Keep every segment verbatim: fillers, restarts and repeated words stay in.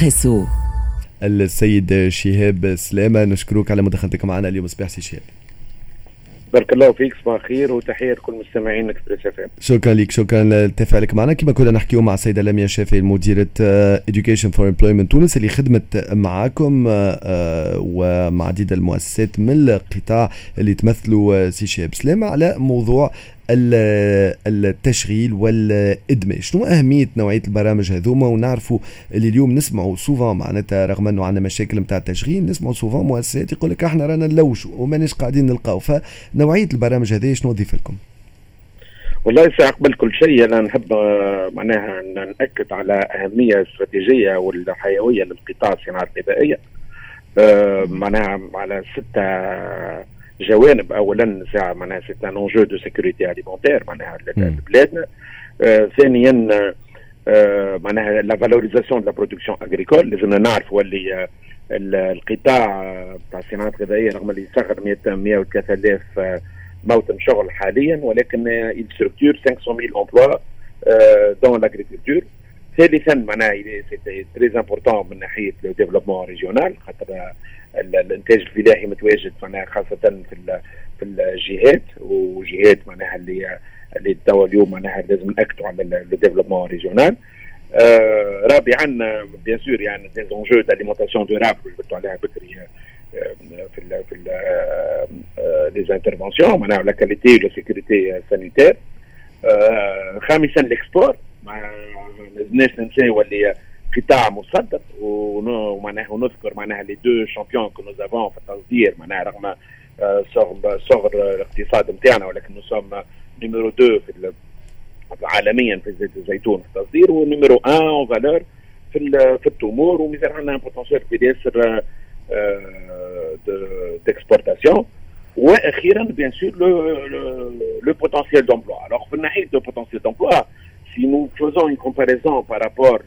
اكسبريسو. السيد شهاب سلامه، نشكرك على مداخلتك معنا اليوم صباح سي شهاب. بارك الله فيك، صباح الخير وتحية لكل مستمعين اكسبريس اف ام. شكرا لك، شكرا لتفاعلك معنا. كما كنا نحكيو مع السيدة لميا شافعي، مديره Education for Employment تونس، اللي خدمت معاكم آه، ومع عديد المؤسسات من القطاع اللي تمثلوا سي شهاب سلامه على موضوع التشغيل والادماج. شنو اهمية نوعية البرامج هذوما؟ ونعرفوا اللي اليوم نسمعوا souvent، معناتها رغم انه عندنا مشاكل نتاع التشغيل، نسمعوا souvent مؤسسات يقول لك احنا رانا نلوجوا وماناش قاعدين نلقاو. فنوعيه البرامج هذه شنو تضيف لكم؟ والله ساعة قبل كل شيء أنا نحب آه، معناها نأكد على أهمية الاستراتيجية والحيوية للقطاع الصناعة الغذائية، آه، معناها على ستة جوانب. اولا ساعة معناها c'est un enjeu de sécurité alimentaire معناها لبلادنا. آه ثانيا آه معناها la valorisation de la production agricole. لازمنا نعرفوا اللي القطاع بتاع الصناعات الغذائية رغم اللي يصغر مية وثلاثة آلاف موطن شغل حاليا، ولكن il structure خمسمية ألف emplois dans l'agriculture. ثالثا معناها c'est très important من ناحية le développement régional، خاطر الانتاج الفلاحي متواجد معناها خاصة في في الجهات وجهات معناها اللي اللي توا اليوم معناها لازم ناكدوا على le développement régional. آه رابعا bien sûr يعني des enjeux d'alimentation durable اللي عليها بكري في ال في les interventions، معناها la qualité، la sécurité sanitaire. خامسا l'export، ما لازمناش ننساو اللي قطاع مصدر، ومعناها ونذكر معناها les deux champions que nous avons في التصدير، معناها رغم صغر صغر الاقتصاد نتاعنا ولكن nous sommes numéro deux في عالميا في زيت الزيتون في التصدير، و numéro un en valeur في في التمور، ومازال عندنا potentiel كبير ياسر d'exportation. واخيرا bien sûr le potentiel d'emploi. alors في ناحية le potentiel d'emploi، si nous faisons une comparaison par rapport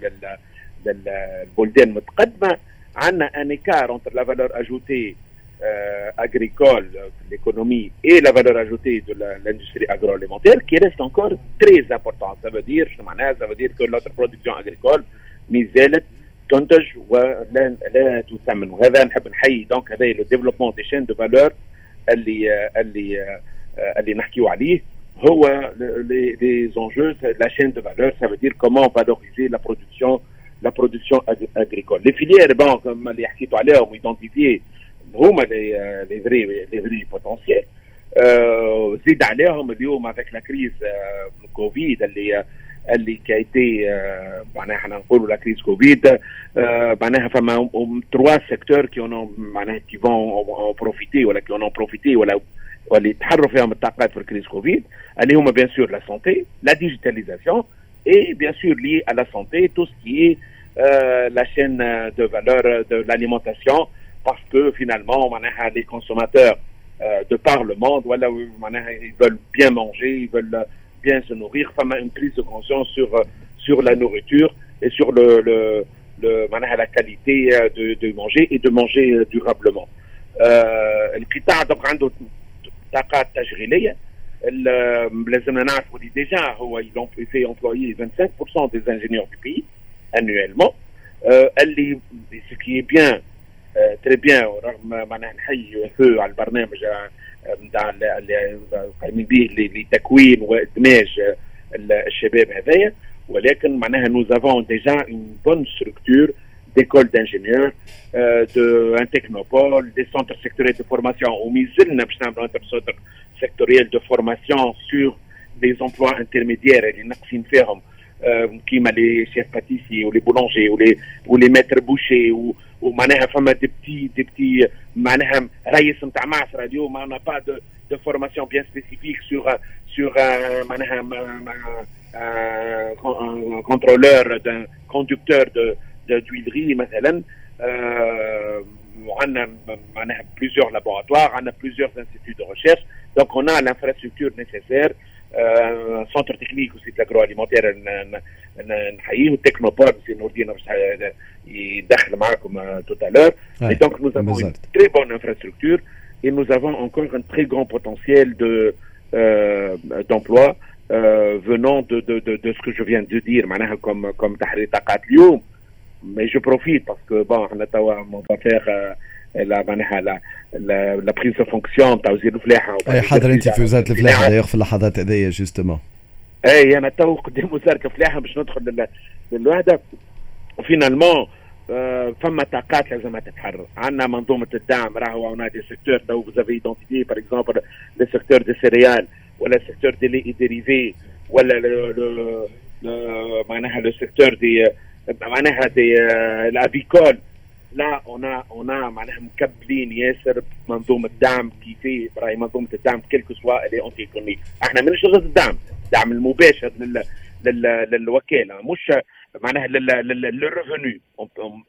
للبلدان المتقدمه، عندنا un écart entre la valeur ajoutée euh, agricole de l'économie et la valeur ajoutée de l'industrie agroalimentaire qui reste encore très important. Ça veut dire, ça veut dire que notre production agricole مازالت تنتج ولا لا تثمن. وهذا نحب نحيي donc هذا le développement des chaînes de valeur اللي اللي اللي نحكيو عليه هو les enjeux، la chaîne de valeur، ça veut dire comment valoriser la production la production agricole. Les filières bon comme اللي حكيتوا عليهم identifiées هما les les vrais les vrais potentiels. زيد عليهم اليوم avec la crise Covid اللي اللي qui a été معناها احنا نقولوا la crise Covid، معناها فما trois secteurs qui معناها qui vont profiter ولا qui ont profité ولا واللي تحرروا فيهم الطاقات في ال crise Covid، اللي هما bien sûr la santé، la digitalisation et bien sûr lié à la santé tout ce qui est euh, la chaîne de valeur de l'alimentation، parce que finalement معناها les consommateurs euh, de par le monde voilà معناها ils veulent bien manger، ils veulent bien se nourrir. فما une prise de conscience sur sur la nourriture et sur le le, le معناها la qualité de, de manger et de manger durablement. euh, القطاع donc عنده طاقات تشغيليه. لازمنا نعرفوا اللي déjà هو il fait employer vingt-cinq pour cent des ingénieurs du pays annuellement، اللي ce qui est bien، très bien. رغم معناها نحيي feu على البرنامج نتاع اللي قايمين به لتكوين وادماج الشباب هذايا، ولكن معناها nous avons déjà une bonne structure d'écoles d'ingénieurs، euh, de un technopole، des centres sectoriels de formation، ومازلنا باش نعملوا un centre sectoriel de formation sur des emplois intermédiaires اللي ناقصين فيهم، كيما les chefs pâtissiers و les boulangers و les و les maîtres bouchers، ومعناها فما des petits des petits معناها رئيس نتاع معصره. اليوم on n'a pas de de formation bien spécifique sur sur معناها un contrôleur d'un conducteur de d'huilerie مثلا. وعندنا معناها plusieurs laboratoires، عندنا plusieurs instituts de recherche، donc on a l'infrastructure nécessaire، centre technique aussi de l'agroalimentaire نحييه، وال technopole سي نور الدين باش يدخل معاكم tout à l'heure. Et donc nous avons une très bonne infrastructure et nous avons encore un très grand potentiel de euh, d'emploi euh, venant de, de, de, de ce que je viens de dire معناها comme comme تحرير طاقات. اليوم Mais je profite parce que bon, احنا توا on va faire la معناها la la prise de fonction تاع وزير الفلاحه. اي، حاضر انت في وزارة الفلاحة d'ailleurs في اللحظات هذيا justement. اي، انا تو قدام وزارة الفلاحة باش ندخل للوحده. و finalement فما طاقات لازم تتحرر. عندنا منظومة الدعم، راهو on a des secteurs تو vous avez identifié par exemple le secteur des céréales ولا secteur des laits dérivés ولا le معناها le secteur des معناها des l'avicole. là on a on a معناها مكبلين ياسر منظومة دعم. كيفية راهي منظومة الدعم quelle que soit elle est anti-économique. احنا مانيش ضد الدعم، الدعم المباشر لل لل للوكاله، مش معناها le revenu,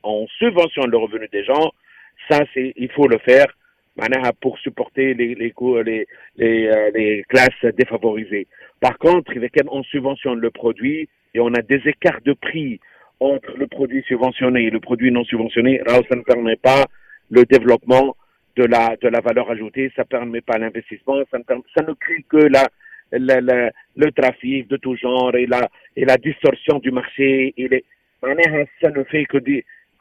on subventionne le revenu des gens, ça c'est il faut le faire معناها pour supporter les les les les, les classes défavorisées. Par contre, إذا كان on subventionne le produit et on a des écarts de prix entre le produit subventionné et le produit non subventionné, راهو ça ne permet pas le développement de la, de la valeur ajoutée, ça ne permet pas l'investissement, ça ne, ça ne crée que la, la, la, le trafic de tout genre et la, et la distorsion du marché. Et les, معناها ça ne fait que,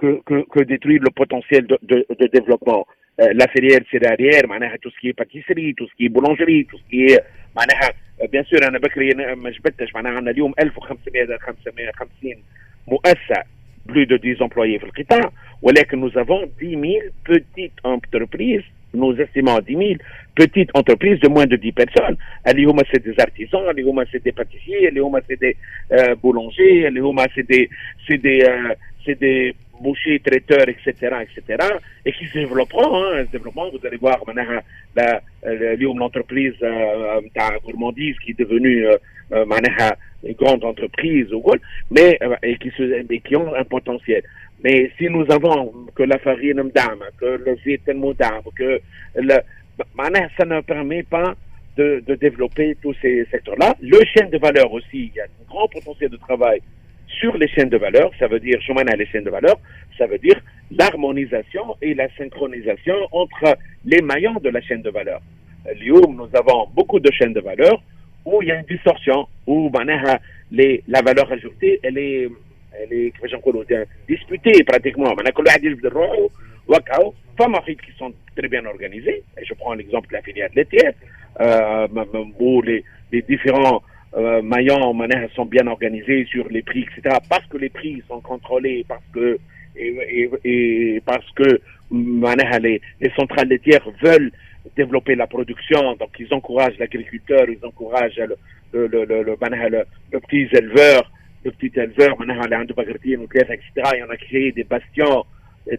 que, que, que détruire le potentiel de, de, de développement. Euh, la filière céréalière, معناها tout ce qui est pâtisserie, tout ce qui est boulangerie, tout ce qui est معناها bien sûr انا بكري ما جبدتش، معناها عندنا اليوم ألف وخمسمية وخمسين مؤسسة plus de dix employés في القطاع، ولكن nous avons dix mille petites entreprises, nous estimons dix mille petites entreprises de moins de dix personnes. اللي هما c'est des artisans، اللي هما c'est des pâtissiers، اللي هما c'est des euh, boulangers، اللي هما c'est des c'est des euh, c'est des bouchers, traiteurs, et cetera, et cetera, et qui se développeront, hein, se développement. Vous allez voir معناها la اليوم l'entreprise نتاع gourmandise qui est devenue معناها une grande entreprise ou mais et qui se et qui ont un potentiel. Mais si nous avons que la farine مدعمة, que le زيت مدعم, que le معناها ça ne permet pas de, de développer tous ces secteurs-là. Le chaîne de valeur aussi, il y a un grand potentiel de travail sur les chaînes de valeur. Ça veut dire, شمعناها les chaînes de valeur, ça veut dire l'harmonisation et la synchronisation entre les maillons de la chaîne de valeur. اليوم, nous avons beaucoup de chaînes de valeur où il y a une distorsion, où معناها les, la valeur ajoutée, elle est, elle est كيفاش نقولوا, disputée pratiquement. معناها كل واحد يجبد روحه وكاو. فما qui sont très bien organisés, et je prends l'exemple de la filière laitière, euh, où les, les différents euh, maillons معناها sont bien organisés sur les prix, et cetera. Parce que les prix sont contrôlés, parce que et, et, et parce que معناها les, les centrales laitières veulent développer la production, donc ils encouragent l'agriculteur, ils encouragent le, le, le, le, le, معناها le, le petit éleveur, le petit éleveur, معناها اللي عنده بقرتين وثلاثة, et cetera. Et on a créé des bastions,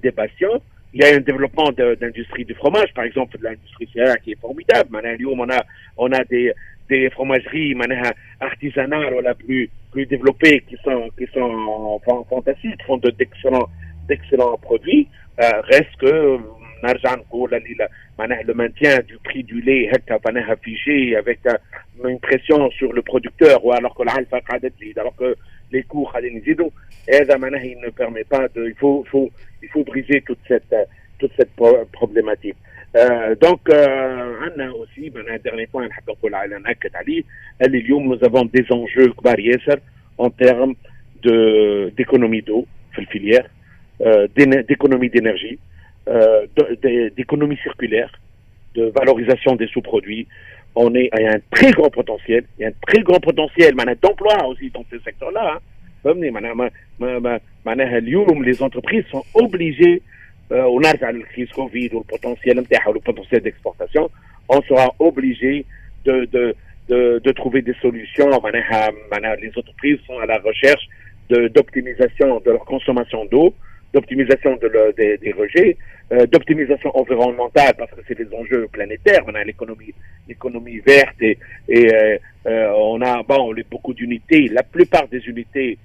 des bastions. Il y a un développement d'industrie du fromage, par exemple, de l'industrie céréalière qui est formidable. معناها اليوم on a, on a des, des fromageries معناها artisanales ولا plus, plus développées qui sont, qui sont fantastiques, font d'excellents, d'excellents produits. Euh, reste que نرجع نقول اللي معناها le maintien du prix du lait هكا معناها figé avec une pression sur le producteur, ou alors que العلفة قاعدة تزيد, alors que les coûts قاعدين يزيدوا، هذا معناها il ne permet pas de il faut faut il faut briser toute cette toute cette problématique. euh, donc عندنا aussi معناها dernier point نحب نقول على نأكد عليه اللي اليوم nous avons des enjeux كبار ياسر en termes de d'économie d'eau في ال filière, euh, d'économie d'énergie, euh, d'économie circulaire, de valorisation des sous-produits. On est, il y a un très grand potentiel, il y a un très grand potentiel معناها d'emploi aussi dans ces secteurs-là. Hein. Les entreprises sont obligées, euh, on a la crise Covid ou le potentiel ou le potentiel d'exportation, on sera obligé de, de, de, de trouver des solutions. Les entreprises sont à la recherche d'optimisation de, leur consommation d'eau, d'optimisation de le, des, des, rejets, euh, d'optimisation environnementale parce que c'est des enjeux planétaires. On a l'économie, l'économie verte et, et euh, euh, on a bon beaucoup d'unités. La plupart des unités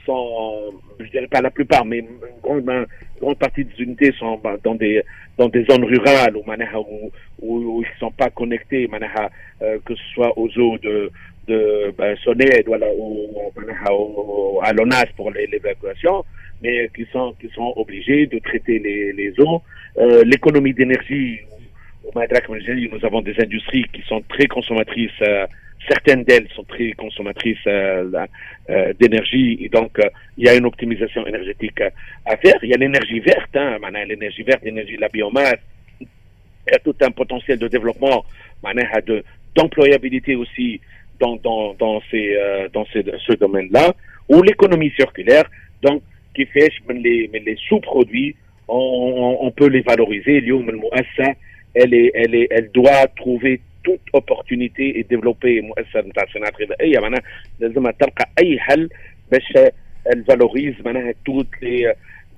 sont, je dirais pas la plupart, mais une grande, une grande partie des unités sont dans des dans des zones rurales où معناها où, où, où ils sont pas connectés معناها euh, que ce soit aux eaux de de ben, SONEDE ولا ou, ou à l'ONAS pour l'évacuation, mais qui sont qui sont obligés de traiter les, les eaux. Euh, l'économie d'énergie, nous avons des industries qui sont très consommatrices euh, Certaines d'elles sont très consommatrices euh, euh, d'énergie et donc euh, il y a une optimisation énergétique à faire. Il y a l'énergie verte, hein, معناها l'énergie verte, l'énergie de la biomasse. Il y a tout un potentiel de développement, معناها de d'employabilité aussi dans, dans, dans, ces, dans ces, ce domaine-là, ou l'économie circulaire, donc كيفاش من les, من les sous-produits, on, on peut les valoriser. اليوم المؤسسة elle est, elle est, elle doit trouver toute opportunité et développer. مؤسسة نتاع الصناعة الغذائية معناها لازم تلقى اي حل باش elle valorise معناها toutes les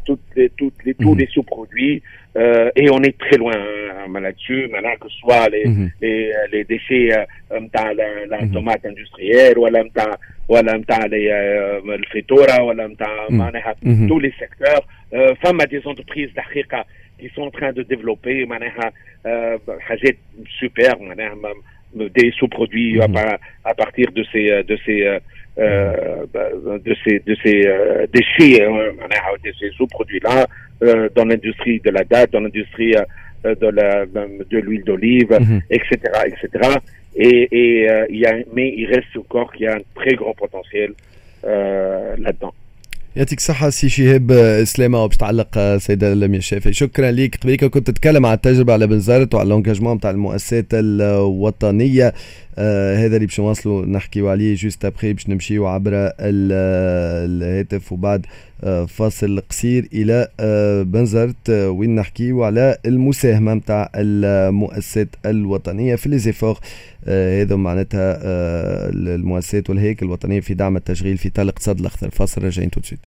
toutes les, toutes les, tous les sous-produits euh, et on est très loin, hein, là-dessus معناها, que ce soit les, mm -hmm. les, les déchets نتاع la, la tomate industrielle ولا نتاع ولا نتاع الفيتوره ولا نتاع معناها tous les secteurs. فما des entreprises الحقيقة qui sont en train de développer معناها حاجات super, معناها des sous-produits mm -hmm. à, à partir de ces de ces euh, de ces de ces euh, déchets, معناها de ces sous-produits là euh, dans l'industrie de la datte, dans l'industrie de la de l'huile d'olive, mm -hmm. et cetera et cetera. Et, et il y a mais il reste encore qu'il y a un très grand potentiel là-dedans. يعطيك الصحة سي شهاب سلامة. وباش تعلق سيدة لميا الشافعي، شكرا ليك. قبيلك كنت تتكلم على التجربة على بنزرت وعلى l'engagement نتاع المؤسسات الوطنية. آه هذا اللي باش نواصلوا نحكيو عليه juste après. باش نمشيو عبر الهاتف وبعد آه فاصل قصير الى آه بنزرت آه وين نحكيو على المساهمة نتاع المؤسسات الوطنية في les efforts آه هذا معناتها آه المؤسسات والهياكل الوطنية في دعم التشغيل في اطار الاقتصاد الاخضر. فاصل، راجعين tout de suite.